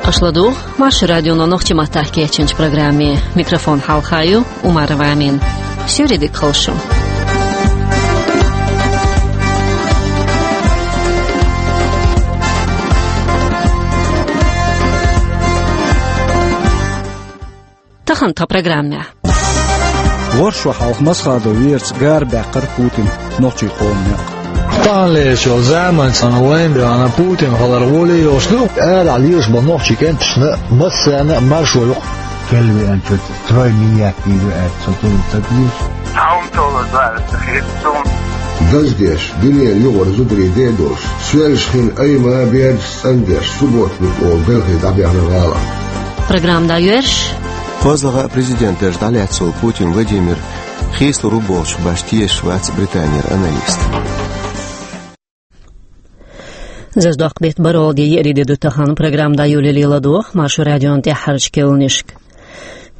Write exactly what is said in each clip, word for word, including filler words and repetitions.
Аша ладугӀу Маршо радионо нохчийн маттахь кечйинчу программе. Микрофон хьалха ю Умарова Амина. Суьйре дика хуьлда шун. Тахана тхан программехь. ВорхӀ шо хьалха Масхадов Вераца гара баьккхира Путина нохчийн къоман некъ. Тахана лелаш йолу заманца вайна бен Путин хилар гӀоле йолуш ду. Арахь лелаш болу нохчийн кӀенташна массарна а маршо ю-кх. Кхел веанчуьра трой миллиард дийр ю аьлла, со тӀе ца дийр. Хьан толу зара хир ду. Даздеш, дуьненан юкъара зударий де а долуш, соьлжа хин айма а бердаш цӀандеш, субботник олу белхий дӀабаьхна гӀала. Программа дӀайоьрзуш. КхозлагӀа а президент дарж дӀалаьцна волу Путин Владимир хийцалур ву бохучух башха тешаш вац Британера аналист. Зазадоккху беттан бархӀалгӀа де, еарин де ду тахана, программа дӀайолале ладогӀа Маршо радион тӀаьххьарчу керланашка.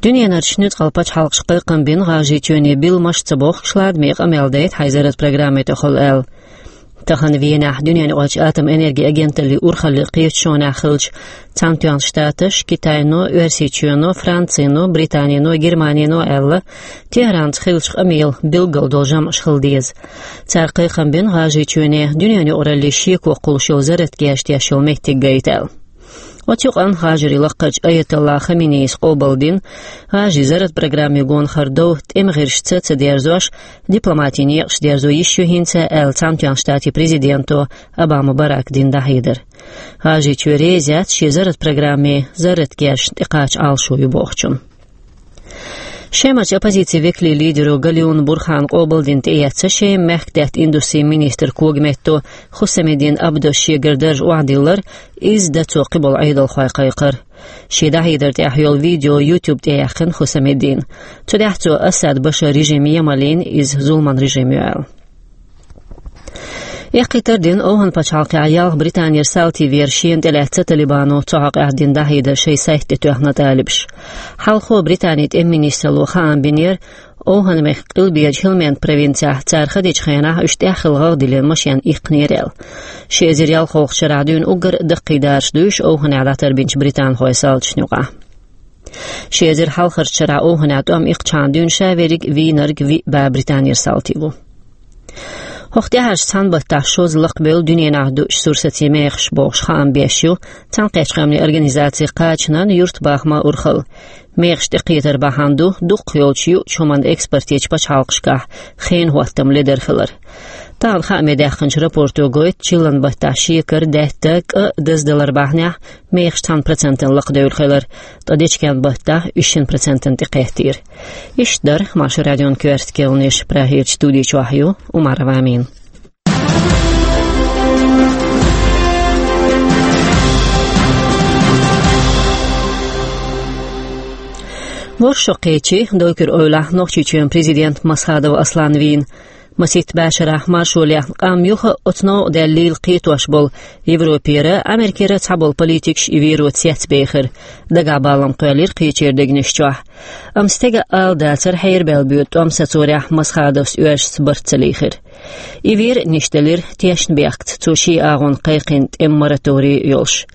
Дуьненарчу нуьцкъала пачхьалкхаша кхайкхам бина, ГӀажарийчоьне билламаш а ца бохкуш, ладаме къамел дайта хьайн зарратан программе тӀехула аьлла. Тахана Венехь дуьненаюкъарчу атомэнерги агенталлин урхаллин кхеташонехь хиллачу Цхьаьнатоьхначу Штаташа, Китайно, Оьрсийчоьно, Францино, Британино, Германино аьлла, Техранца хиллачу къамелан билггал долу жамӀаш хила деза. Цара кхайкхам бина ГӀажарийчоьне дуьненаюкъараллин шеко кхуллуш йолу зарратан герз теш йолу меттиг гайта аьлла. Оцу юкъанна ГӀажарийн лакхарчу аятоллахь Хаменеис къобалдина, ГӀажарийн зарратан программе гонахара дов тӀеман гӀирсашца а ца дерзош, дипломатин некъаш дерзо йиш ю хӀинца аьлла, Цхьаьнатоьхначу Штатийн президенто Обама Барака дина дӀахьедар. ГӀажарийчоь реза яц шен зарратан программе зарратан герзашна тӀекхача Ӏалашо ю бохучунна. Шемарчу оппозицин векалийн лидеро Галиунов Бурхана къобалдина тӀеэцна Шеман мехкдаьтта индустрин министран когаметто Хусамидин Абдос шегара дарж охьадиллар, изза дацо кхиболу Ӏедалхой кхайкхар. Шен дӀахьедар тӀехь йолу видео YouTube тӀе яьккхина Хусамидина. Цу тӀехь цо Асад Башаран режим емалийна, иза зуламан режим ю аьлла. Эккхийтар дина ОвхӀан-пачхьалкхехь ялх Британера салтий вер шена тӀелаьцна Талибано цу хьокъехь дина дӀахьедар шайн сайта тӀе тоьхна талибаша. Хьалхо Британин тӀеман министралло хаам бинера, ОвхӀан-мехкан къилберачу Хьелманд провинцехь цара ха дечу хенахь уьш тӀаьххьара гӀагӀ диллина машен иккхинера аьлла. Ши эзар ялхолгӀачу шарахь дуьйна уггар а даккхий дараш ду уьш ОвхӀанехь дӀатарбинчу британхойн салташна юкъахь. Ши эзар хьалхарчу шарахь ОвхӀанехь тӀом иккхачхьана дуьйна ша верриг а вийнарг виъ бӀе Британера салтий ву. ХӀокху тӀаьхьарчу цхьана баттахь шозза лакхабевлла дуьненахь дуъучу сурсацийн мехаш бохуш хаам беш ю Цхьаьнакхеттачу Къаьмнийн Организацин кхачанан юьртабахаман урхалла. Мехаш тӀекхетар бахьана ду дукхах йолчу юучу хӀуманна экспорт ечу пачхьалкхашкахь хенан хӀоттам ледар хилар. Тахана хааме даьккхинчу рапорто гойту, чиллан баттахь шекар, даьтта, кӀа даздалар бахьанехь мехаш цхьана процентана лакхадевлла хилар, ткъа дечкен баттахь уьш шина процентана тӀекхеттийра. Иштта дара Маршо радион коьрта керланаш. Прагерчу студи чохь ю Умарова Амина. ВорхӀ шо кхечи Дойкуьр эвлахь Нохчийчоьнан президент Масхадов Аслан вийна. Масийтта бӀешарахь маршо лехна къам юха а оцу новкъа даьллийла кхетош болу Европера, Америкера цхьаболу политикаш и вер цецбехира. Дагахь балам кхоьллира кхечеран дегнаш чохь. Амма стеган ала дацара хьерабаьлла боьду тӀом сацорехь Масхадовс оьрсашца барт ца лийхира. И вер а нисделира тешнабехкаца, цо шен агӀонна кхайкхина тӀеман мораторий йолуш.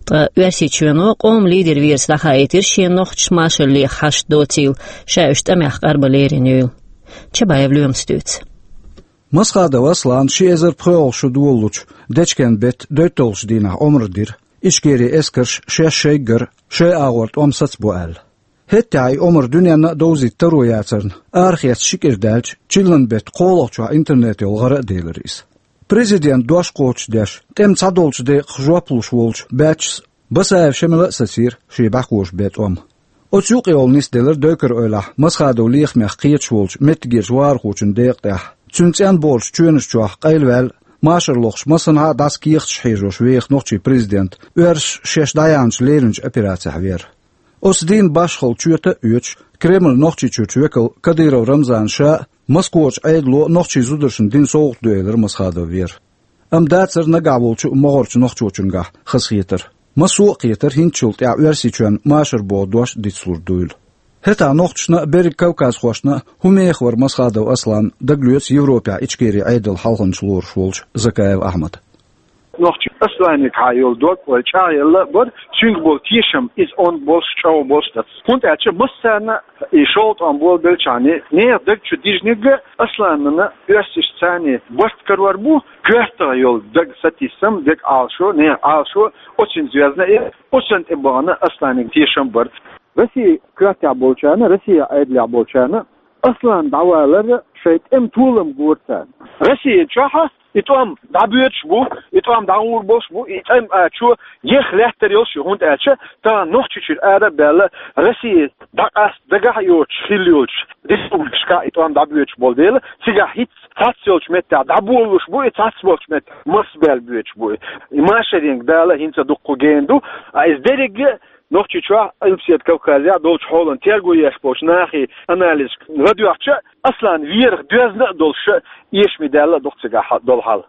Ткъа Оьрсийчоьно къоман лидер Вераца дӀахаийтира шен нохчаша маршалла леха хьашт доцийла, ша уьш тӀамехь къарбан лерина юйла. Чабаев Лоьмас дуьйцу. Масхадов Аслана ши эзар пхоьалгӀа шо долалучу дечкен беттан доьтталгӀачу дийнахь омра дира, Ичкерин эскарша шаьш шайггара шайн агӀор тӀом сацабо аьлла. ХӀеттехь и омра дуьненна а довзийта таро яцарна, арахецна ши кӀира даьлча, чиллан беттан кхоалгӀачохь интернетехула гӀара а делира иза. Президентан дош кхочушдеш, тӀеман цхьадолчу декъах жоп луш волчу баьччас Басаев Шемала а сацийра шен бӀаьхоша бен тӀом. Оцу юкъа йолу нисделира Дойкуьр эвлахь Масхадов лехамех кхеташ волчу меттигерчу вахархочун декъа тӀехь. Цуьнан цӀенболчу чоьнаш чохь къайлаваьлла, машар лохуш массанхьа а дӀасакехаташ хьежош веха нохчийн президент, оьрсаша шаьш дӀаяьхьначу леринчу операцехь вер. Оцу дийнан башхалла чоьта а оьцуш, Кремлан Нохчийчуьрчу векал Кадыров Рамзан ша а, Москвачу Ӏедало нохчийн зударшна дина совгӀат ду элира Масхадов Вера. Амма дацара нагахь волчу а могӀарчу нохчочуьнгахь хазахетар. Массо а кхетара хӀинцачул тӀаьхьа Оьрсийчоьнна машар боху дош дицлур дуйла. ХӀетахь нохчашна а, берриг кавказхошна а хӀун меха вара Масхадов Аслан, дагалоьцу Европехь Ичкерин Ӏедалан хьалханча лоруш волчу Закаев Ахьмада. Нохчий Асланагахьа йола дог вай чӀагӀъелла а бар, цуьнга бола тешам иза онда болуш, чӀогӀа болуш дац. ХӀунда аьлча массарна и шолгӀа тӀом болабелча а, нехан даг чу дижнарг а Асланна оьрсашца цхьана барт карор бу, коьртах йола даг сатийсам, даг Ӏалашо, нехан Ӏалашо, оцунца йоьзна а, оцунна тӀе бахана Асланага тешам бар. Россин коьртехь болчарна, Россин Ӏедалехь болчарна Аслан дӀавалар шайн тӀеман толам гора царна. Росси чохь и тӀом дӀабоьдуш бу, и тӀом дӀагӀур болуш бу, и тӀом а чу еха лаьттар йолуш ю, хӀунда аьлча тахана Нохчийчуьра ара а баьлла, Росси дӀакъаста дагахь а йоцуш хилла йолчу республикашкахь и тӀом дӀабоьдуш болу дела, цигахь хӀинца цхьацца йолчу меттехь дӀаболалуш бу, и цхьацца болчу меттехь марсабаьлла боьдуш бу. И машаренга Дала хӀинца дуккха гена ду, а иза дерриге а Нохчийчохь, Къилбаседа Кавказехь долчу хьолан терго еш болчу нахе анализашка ладоьгӀча, Аслан верах доьзна а долуш, эшаме даьлла а ду-кх цигахь долу хьал.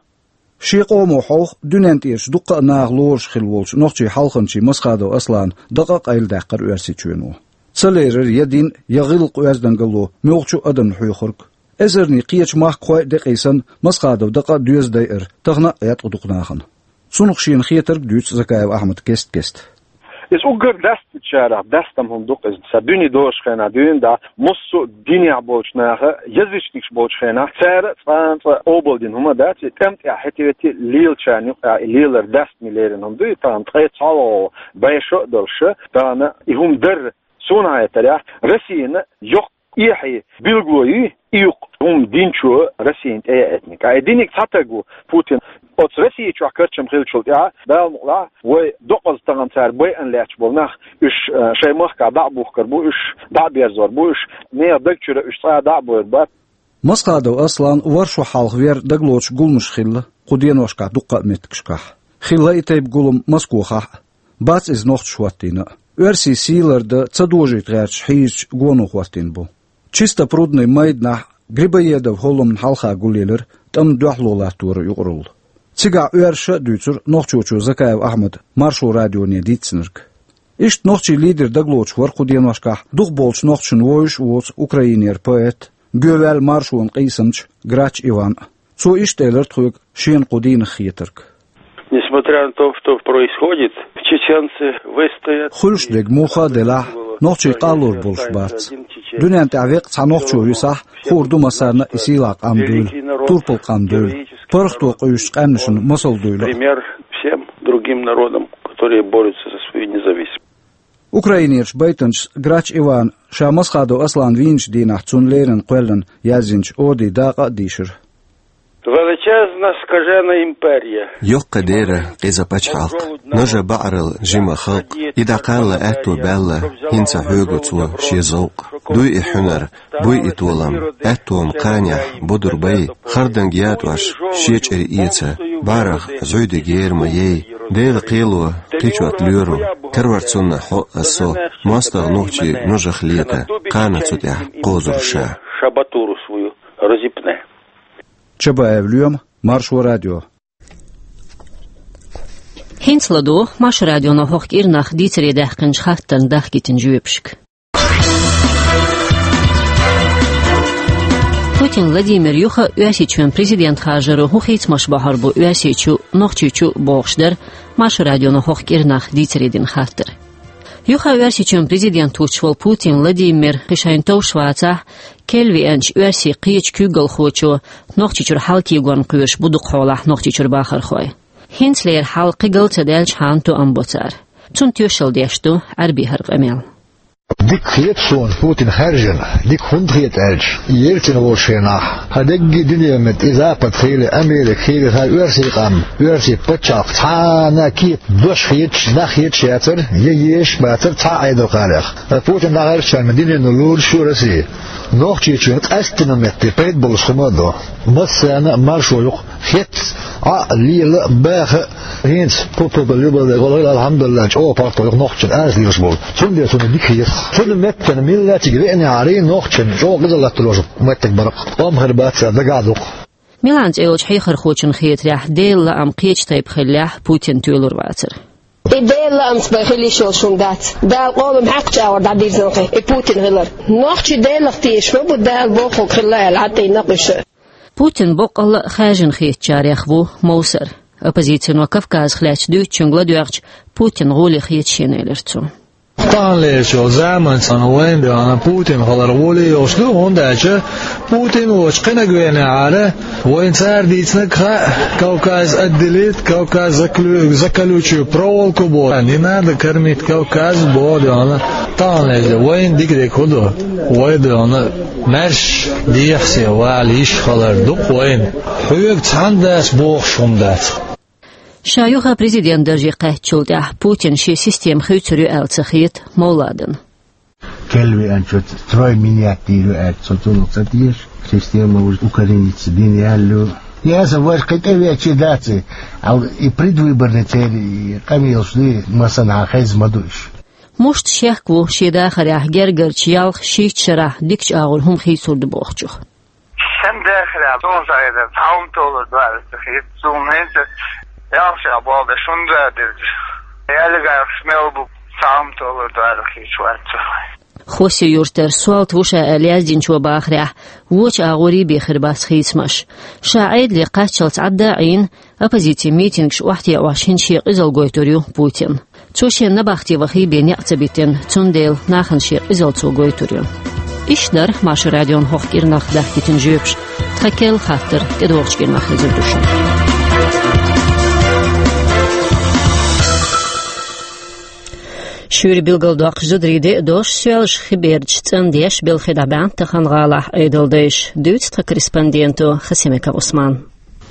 Шен къомо хьовха, дуьнен тӀерачу дуккха а наха лоруш хилла волчу нохчийн хьалханчийн Масхадов Аслана дакъа а къайладаьккхира Оьрсийчоьно. Ца лерира я дин, я гӀиллакх-оьздангалло муьлххачу а адамна хьоьхург. Эзарнийн кхечу махкахойн а декъий санна, Масхадовн дакъа а, доьза а дайира тахана а гӀерта дукха нахана. Цунах шена хетарг дуьйцу Закаев Ахьмада кест-кеста. Иза уггар даьстинчарах даьстина хӀума ду-кх иза. Сан дуьне долчу хенахь дуьйна дӀа, массо а динехь болчу наха, язычникаш болчу хенахь, цара цкъа а цкъа къобалдина хӀума дац, и тӀам тӀехь хӀетте-хӀетте лелачарна юкъахь и лелар даьстина лерина хӀума ду, и тахана ткъе цхьалгӀа бӀе шо а долуш, тахана и хӀума дар. Суна хетарехь, Россина йоккха эхье билгало ю и юккъе хӀума динчо Россина тӀеэцниг. Ткъа и диниг цхьа таг ву, Путин. Оцу Росси чохь карчам хиллачул тӀаьхьа, Дала мукъалахь, вай доккхаза тахана цара байъина лаьтташ болу нах, уьш, э, шайн махкахь дӀа а бухкур бу, уьш дӀа а берзор бу, уьш нехан даг чуьра уьш цкъа а дӀа а бойр бац. Масхадов Аслан ворхӀ шо хьалха вер дагалоцуш гуламаш хилла кху деношкахь дуккха а меттигашкахь. Хилла и тайпа гулам Москохахь а. Бац иза нохчаша хӀоттийна а. Оьрсийн сий лардан ца дожийта гӀерташ хьийзачу гоно хӀоттийна бу. Чистопрудный майданахь Грибоедов хӀолламна хьалха гулъелира тӀамна дуьхьало латторан юкъаралла. Цигахь оьрсаша а дуьйцура нохчочо Закаев Ахьмада Маршо радионе дийцинарг. Иштта нохчийн лидер дагалоцуш вара кху деношкахь дукхахболчу нохчашна вовзаш а воцу Украинера поэт, гоьваьлла маршонан къийсамча Грач Иван а. Цо иштта элира тхоьга шена кху дийнах хетарг. Несмотря на то, что происходит, чеченцы выстоят. Хуьлуш дерг муха а делахь, нохчий къаллур болуш бац. Дуьнен тӀехь веккъа цхьа нохчо висахь, хуур ду массарна а и сийлахь къам дуйла, турпал къам дуйла, паргӀато къуьйсучу къаьмнашна масал дуйла. Пример всем другим народам, которые борются за свою независимость. Украинерчу байтанчас Грач Ивана ша Масхадов Аслан вийначу дийнахь цунна леррина кхоьллина яздинчу один дакъа а дийшира. Величезна скажена імперія. Йоккха дера къиза пачхьалкх, нажа баӀарал жима халкъ, и дӀакхалла аьтто баьлла, хӀинца хьоьгу цо шен зовкъ. Дуй и хьуьнар, буй и толам, аьттом кханехь бодур бай, харданга ятӀош шен чӀир эца, бӀарах зӀуьйдиг ер ма яй, Делан кхело кхечот лоьру, карор цунна хьо а со, мостагӀа нохчий ножах лета, кхана цу тӀехь кхозур ша. Шабатуру свою розіпне. Чабаев Лоьма, Маршо радио. ХӀинца ладогӀа Маршо радионо хӀокху кӀирнах дийцаре даьккхинчу хаттарна дахкийтина жоьпашка. Путин Владимир юха Оьрсийчоьнан президент харжаро хӀун хийцамаш бахьар бу Оьрсийчу, Нохчийчу бохуш дара Маршо радионо хӀокху кӀирнах дийцаре дина хаттар. Юха Оьрсийчоьнан президент воцуш волу Путин Владимир кхин шайна товш вацахь, кхел веанчу оьрсийн кхечу куьйгалхочо Нохчийчуьра хьал кегорна кхоьруш бу дукхахьолахь Нохчийчуьра бахархой. ХӀинцалера хьал кхин гал ца даьлчхьана тоам бо цара. Цунна тоьшалла деш ду Ӏаьрбийн хӀара къамел. Дика хета суна Путин хаьржина, дика хӀунда хета аьлча, Ельцин волчу хенахь, хьан дегги дуьне метта и Запад хили, Америка хили, хьан оьрсийн къам, оьрсийн пачхьалкх цхьана а кепа дош хеташ, нах хеташ яцара, я езаш а бацара цхьа а Ӏедал кхарех. Ткъа Путин дӀахаьржичхьана дуьнено лоруш ю Россия. Нохчийчоьнан къаьсттина метте пайда болуш хӀума а до. Массарна а маршо ю-кх. Хетта, Ӏа а, лела а, баха а, хӀинца, пу-пу-пу, любой век, валла, алхьамдулиллахӀ, чӀогӀа паргӀато ю-кх нохчашна арадоьлуш болу. Цундела цунна дика хета. Цунна меттана миллатиг веана гӀаре нохчашна чӀогӀа гӀизаллатталуш метта бара-кх. Къам хир бац цара дагахь ду-кх. Милан цӀе йолчу хьехархочунна хетарехь, Делан лаам кхечу тайпа хиллехь, Путин тоьлур вацара. И Делан лаамца бен хила йиш йолуш хӀума дац. Дала къолам хьаькхначу агӀор дӀадирзина кхин и Путин хилар. Нохчий Делах тешаш ма бу, Дала бохург хилла аьлла, хьатӀе накъуьша. Путин боккъалла а хаьржина хетачарех ву Мовсар. Оппозицино Кавказах лаьцна дуьйцучуьнга ладоьгӀча, Путина гӀоле хеташ хилар цо. Таханлерчу заманца вайна дуьхьал Путина хилар гӀоле йолуш ду, хӀунда аьлча Путин волчу кхинаг веанехьара, вайна цара дийцинарг хаьа, Кавказ отделить, Кавказ заклю-, заколючую проволоку боху. Не надо кормить Кавказ боху дуьхьал. Таханлерчу вайна дика-дика хӀун ду? Вай дуьхьал маьрша дехьа-сехьа вала йиш хилар ду-кх вайна. Хьоьга цхьанна дас бохуш хӀума дац. Ша юха президент дарже кхаьчначул тӀаьхьа Путина шен система хуьйцур ю аьлла ца хета Мовладана. Кхел веанчуьра строй менять дийр ю аьлла, со цунах ца теша, система уже укорениться дина яьлла ю. Яса, вай кхин тӀе веача дац и, ал-, и предвыборный церан и къамелаш дуй, массанхьа хеза ма ду уьш. Муьлхха шек ву шен дахарехь гергарчу ялх-шийтта шарахь дикачу агӀор хӀума хийцур ду бохучух. Сан дахарехь суна ца хетара, цхьа хӀума толур ду аьлла ца хета суна хӀинца. Ялх шарахь болх беш хӀунда а деза? Ялгайх мел бу, цхьа хӀума толур ду аьлла хеташ вац со. Хосси-Юьртара Солта ву ша аьлла яздинчо бахарехь, вочу агӀорий бен хир бац хийцамаш. Ша Ӏедале кхаччалц Ӏадда а Ӏийна, оппозицин митингаш охьатаӀош хӀинца шен къизалла гойтур ю Путин. Цо шен набахте вахий бен некъ ца битина, цундела нахана шен къизалла цо гойтур ю. Иштта дара Маршо радион хӀокху кӀирнах дахкийтина жоьпаш. Тхан керла хаттар тӀедогӀучу кӀирнах хезар ду шуна. Шуьйра билгалдоккхуш зударий де а долуш, соьлжа хи бердаш цӀандеш белхи дӀабаьхна тахана гӀалахь Ӏедалдайша, дуьйцу тхан корреспонденто Хасимиков Ӏусмана.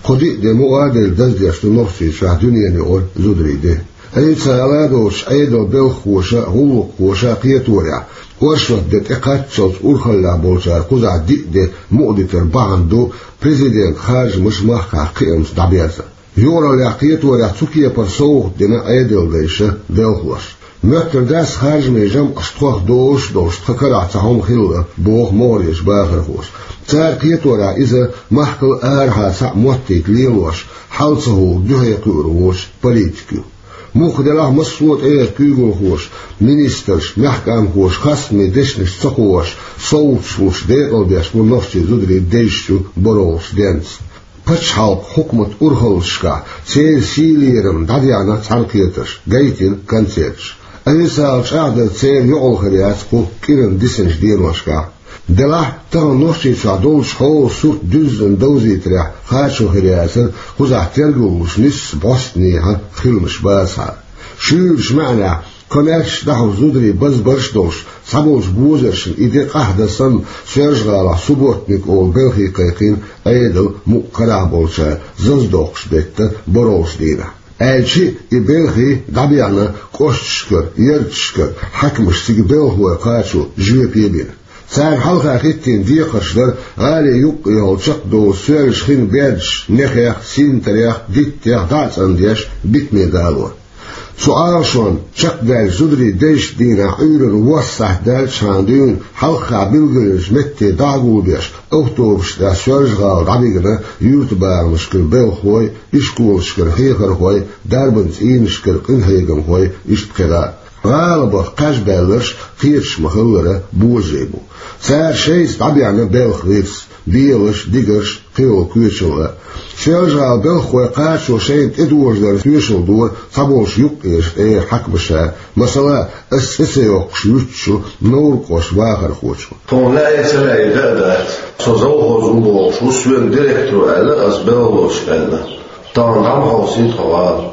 Кху диъ де мукъа а делла даздеш ду Нохчийчохь дуьненан юкъара зударий де. Ӏийса гӀала а доцуш, Ӏедалан белхахоша а, гӀуллакххоша а кхеторехь, оршот де тӀекхаччалц урхаллехь болчара кхузахь диъ де мукъадитар бахьана ду президентан харжамаш махкахь кхиамца дӀаберзар. Юкъараллехь кхеторехь цу кепара совгӀат дина Ӏедалдайша белхалоша. Моьттур дац харжамийн жамӀаш тхох дозуш а долуш тхан карахь цхьа хӀума хилла, боху могӀарерчу бахархоша. Цара кхеторехь иза махкал арахьа цхьаъ моттийта лелош, хьал ца хӀура дуьхье кхуьур воцу политика ю. Мухха делахь а массо а тӀегӀерта куьйгалхоша, министрша, мехкан хьаькамхоша хастаме дешнаш ца кхоьруш, совгӀаташ луш декъалбеш бу нохчийн зударий дезачу борхӀалгӀачу денца. Пачхьалкхан хьукматан урхаллашкахь церан сий-лерам дӀадаьхьна цхьаьнакхетарш, гайтина концерташ. Ӏийсагал чӀагӀдар церан йоӀалла хир яц кху кӀиранан дисинчу деношкахь. Делахь а, тахана Нохчийчохь долчу хьолан сурт дуьззина довзийтарехь кхачо хир яцара кхузахь тергал луш нисса бӀостанехьа хиламаш бацахьара. Шуьйрачу маьӀнехь, комаьршачу дӀахьуш зударий базбарш а долуш, цхьаболчу бозаршна и де къаьхьа дан санна, Соьлжа-ГӀалахь субботник олу белхий кхайкхийна Ӏедалан мукъа карахь болчара зазадоккхуш детта борхӀалгӀачу дийнахь. Аьлча а, и белхий дӀабаьхна кӀошташкара, ярташкара хьаькамаш цига белхалой кхачо жоьпе а бина. Царна хьалха хӀиттийна декхарш дара гӀалин юккъехула чекхдовлу соьлжа хин бердаш нехех, синтарех, диттех дӀа а цӀандеш битаме далор. Цу Ӏалашонна чекхдаьллачу зударий дезачу дийнахь Ӏуьйранна ворхӀ сахьт даьллачхьана дуьйна хьалххе билгалйинчу метте дӀа а гулбеш, автобусашкахь Соьлжа-ГӀала дӀабигна юьртабахамашкара белхалой, ишколашкара хьехархой, дарбан цӀийнашкара къинхьегамхой, иштта кхидӀа а. ГӀала баха кхаж баьлларш кхеташ ма-хиллара божарий бу. Цара шайца дӀабаьхна белхан гӀирс, белаш, дигарш, кхийолу кхечалла. Соьлжа-ГӀалин белхалой кхачо шайна тӀедожадар тоьшалла дора цхьаболчу юккъерчу тӀегӀеран хьаькамаша. Масала, ас цӀе ца йоккхуш вуьтучу Невран кӀоштан вахархочо. Тхуна лаьий ца лаьий дан а дац. Со завхоз ву бохуш ву соьга директоро аьлла, ас белхалошка аьлла. Тахана дӀа ма хьовсийта тхо гӀала.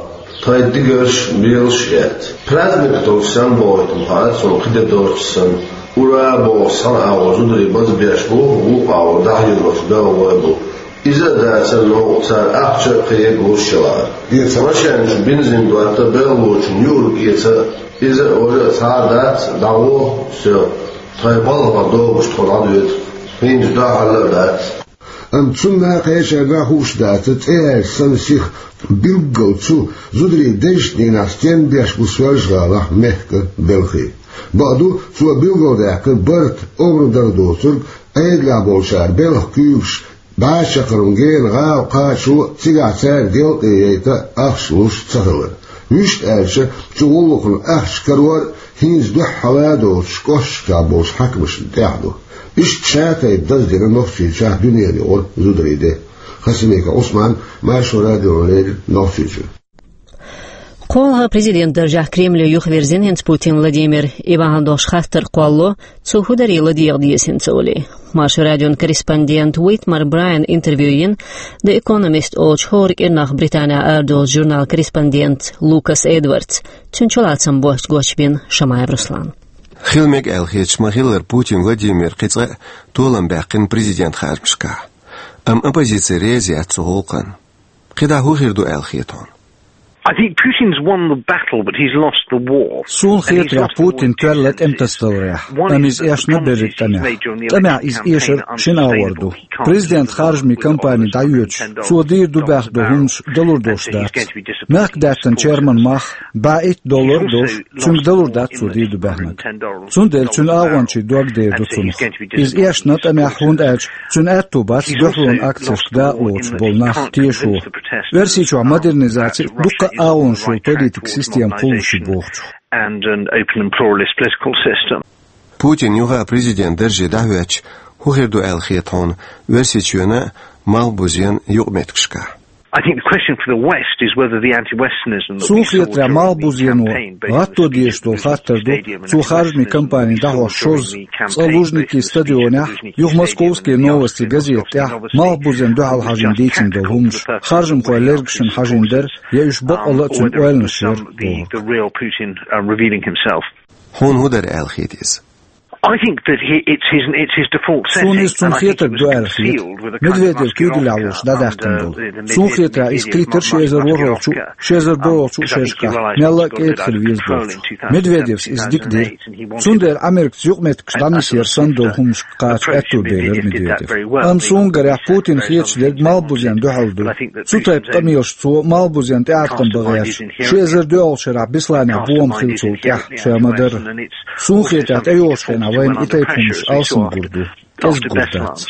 Тхайн дигарш, белаш а эцна. Праздник долчу санна бохуьйту ма хаьа, цунна кхин де доцуш санна. Ура бохуш цхьана агӀор зударий базбеш бу, вукху агӀор дӀахьоьруш белхалой бу. Иза а дацара новкъа цара ахча а, кхин а гуш а лаьа. Эца. Машен чу бензин дотта, белхалочунна юург эца, иза а, важа а цхьа а дац, дӀагӀо, всё. Тхайн балхах догӀуш тхо дӀадоьду. ХӀинца дуьхьал а дац. Амма цунна а, кхечарна а хууш дацара цӀе яьлча санна сиха билггал цу зударий дезачу дийнахь стенна беш бу Соьлжа-ГӀалахь мехкан белхий. Бакъду, цо билгалдаьккхира барт, огӀар дар доцург, Ӏедалехь болчара белхан куьйгаш бӀе чаккхарма гена гӀала кхачо а, цигахь цаьрга делкъе яйта а ахча луш ца хилар. Вуьшта аьлча, цу гӀуллакхна ахча карор а, хӀинца дуьххьара а доцуш кӀошташкахь болчу хьаькамашна тӀехь ду. Иштта шатайпа даздина Нохчийчохь дуьненан юкъара зударий де. Хасимиков Усман, Маршо радиона леррина Нохчийчуьра. КхоалгӀа президент даржехь Кремле юхаверзина хӀинца Путин Владимир. И бахьана долуш хаттар кхоллало, цо хӀун дарий ладегӀа деза хӀинца олий. Маршо радион корреспондент Уитмар Брайан интервью йина The Economist олучу хӀора кӀирнах Британехь арадолучу журнал корреспондент Лукас Эдвардс. Цуьнан чулацам боцчу гочбина Шамаев Руслан. Хила мега аьлла хеташ ма-хиллара, Путин Владимир кхин цкъа а толам баьккхина президент харжамашкахь. Амма оппозици реза яц цу гӀуллакхна. КхидӀа хӀун хир ду аьлла хета хьуна? I think Putin's won the battle, but he's lost the war. Суна хетарехь, Путин тоьлла тӀематасадаларехь, амма иза эшна берриг тӀамехь. ТӀамехь иза эшар шина агӀор ду. Президент харжамийн кампани дӀайоьдуш, цо дийр ду баьхна долу хӀуманаш далур долуш дац. Мехкдаьттан черман мах бӀе итт доллар долуш, цуьнга далур дац цо дийр ду баьхнарг. Цундела цуьнан агӀончийн дог дер ду цунах. Иза эшна тӀамехь, хӀунда аьлча цуьнан аьтто бац дуьхьалонан акцешка дакъалоцуш болу нах тешо. Оьрсийчохь модернизаци а, дуккха а агӀонаш йолу политикан система кхуллуш ю бохучух. And an open and pluralist political system. Путин юха президент дарже дӀахӀоьттича, хӀун хир ду аьлла хета хьуна Оьрсийчоьнан а, Малхбузенан юкъаметтигашкахь? I think the question for the West is whether the anti-Westernism that we saw during the Trump administration can be... Суна хетарехь, Малхбузено гӀатто дезаш долу хаттар ду, цо харжамийн кампани дӀахьош шозза, цкъа Лужники стадионехь, юха Московские новости газета тӀехь Малхбузенна дуьхьал хьажийна дийцина долу хӀуманаш харжамхойн лергашна хьажийна дара, я уьш бакъалла а цуьнан ойланаш яра бохург. Хьуна хӀун дара аьлла хета иза? I think that he, it's his, it's his default setting. Суна иза цуьнан хетарг ду аьлла хета. Медведев куьйгаллехь волуш дӀадаьккхина долу. Суна хетарехь, иза кхийттара ши эзар ворхӀолгӀачу, ши эзар борхӀолгӀачу шерашкахь мелла а кӀеда хила веза бохучух. Медведевс иза дика дира. Цундела Америкаца юкъаметтигаш дӀанисъяр санна долу хӀуманашка кхача аьтто белира Медведев. Амма суна гарехь, Путина хеташ дерг Малхбузенна дуьхьал ду. Цу тайпа къамелаш цо Малхбузенна тӀеӀаткъам бан гӀерташ, ши эзар доьалгӀачу шарахь Бесланехь бомба хиллачул тӀаьхьа, ша ма-дарра. Суна хетарехь, тӀейогӀучу хенахь вайна и тайпа хӀуманаш алсам гур ду, кӀезиг гур дац.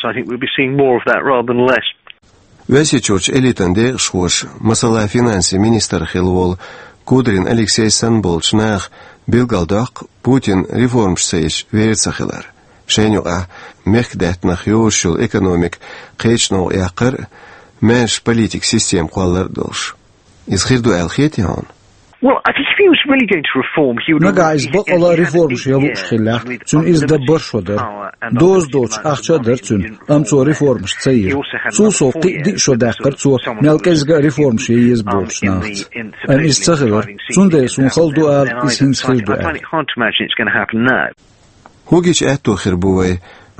Оьрсийчуьрчу элитан декъашхоша, масала, финансийн министр хилла волу Кудрин Алексей санна болчу наха билгалдоккху Путина реформаш ца ечу вер ца хилар. Шайна юкъахь мехкдаьттанах йозуш йолу экономика кхечу новкъа яккхар а, маьрша политикан система кхоллар а долуш. Иза хир ду аьлла хетий хьуна? Well, I think if he was really going to reform, he would... Нагахь иза бакъалла а реформаш ян лууш хиллехь, цуьнан иза дан бархӀ шо дара. Доза доцуш ахча а дара цуьнан, амма цо реформаш ца йира. Цул сов кхин а диъ шо даьккхира цо, мел кӀезиг а реформаш ян еза бохучу нахаца. Амма иза ца хилира, цундела суна хала ду ала, иза хӀинца хир ду аьлла. I find it hard to imagine it's going to happen now. ХӀун гича аьтто хир бу вай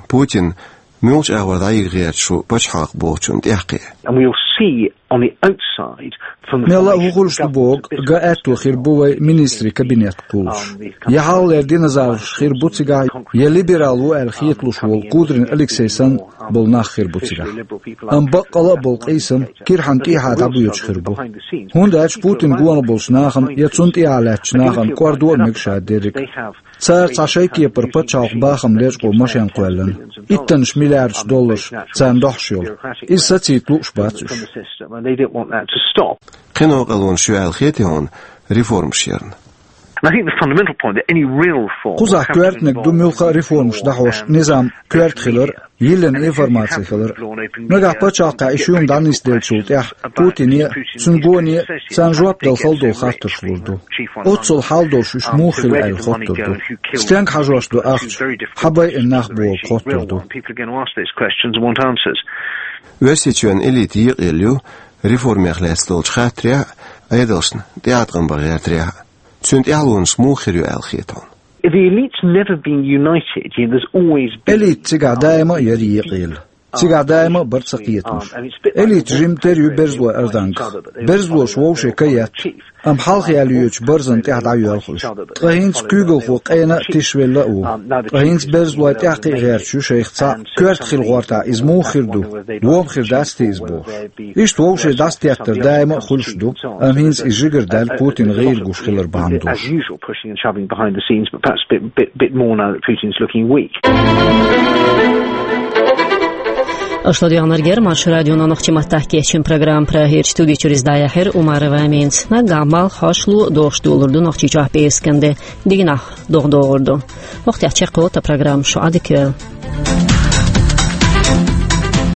Путин муьлхачу агӀор дӀайига гӀерташ ву пачхьалкх бохучунна тӀаьххье? And we'll see on the outside from the... Мелла а хӀун хуьлуш ду бохург ган аьтто хир бу вай министрийн кабинет кхуллуш. Я хьалхалера динозавраш хир бу цигахь, я либерал ву аьлла хеталуш волу Кудрин Алексей санна болу нах хир бу цигахь. Амма баккъалла а болу къийсам кирхьанна тӀехьа дӀабоьдуш хир бу. ХӀунда аьлча Путина гонах болчу нахана я цунна тӀехьа лаьттачу нахана кӀордо а мега ша дерриг. Цара цхьа шайн кепара пачхьалкхан бахам лечкъо машен кхоьллина, иттаннаш миллиардаш долларш царна дохьуш йолу. Иза сацийтта лууш бац уьш. Кхин а къалонаш ю аьлла хетий хьуна реформаш ярна? And I think the fundamental point that any real reform... Кхузахь коьртаниг ду муьлхха а реформаш дӀахьош низам коьрта хилар, йиллина информаци хилар. Нагахь пачхьалкхехь и шуьйра дӀанисделлачул тӀаьхьа Путине а, цуьнан гоне а царна жоп дала хала долу хаттарш лур ду. Оццул хьал долуш уьш муха хилла аьлла хоттур ду. Стенга хьажош ду ахча, хьан байина нах бохург хоттур ду. Оьрсийчоьнан элита екъаелла ю реформех лаьцна долчу хаттарехь а, Ӏедалшна тӀеӀаткъам бан гӀертарехь а. Цуьнан тӀаьхьалонаш муха хир ю аьлла хета хьуна? The elite's never been united, you know, there's always been... Элита цигахь даима а яра екъаелла. Цигахь даима а бара цакхетамаш. Элита жимма тера ю берзлой ардангах. Берзлоша вовше ка етта. Амма хьалха яьлла йоьдучу барзана тӀехь дӀайоьлху уьш. Ткъа хӀинца куьйгалхо къена а, тишвелла а ву. Ткъа хӀинца берзлой тӀаьхкхиа гӀерташ ю шайх цхьаъ, коьрта хила гӀортахь, иза муха хир ду, вон хир дац те иза бохуш. Иштта вовше дӀасатеттар даима а хуьлуш ду, амма хӀинца иза жигара даьлла Путина гӀийла гуш хилар бахьана долуш. As usual, pushing and shoving behind the scenes, but perhaps a bit, bit, bit more now that Putin's looking weak. Аша ладоьгӀнарг яра Маршо радион нохчийн маттахь кечйина программа. Прагерчу студи чуьра иза дӀаяьхьира Умарова Аминас. Наггахь малх, хьошалгӀа а дохуш долур ду Нохчийчохь пӀераскан де. Дигнахь догӀа догӀур ду. ХӀокху тӀехь чекхйолу тхан программа, шу Ӏадика йойла.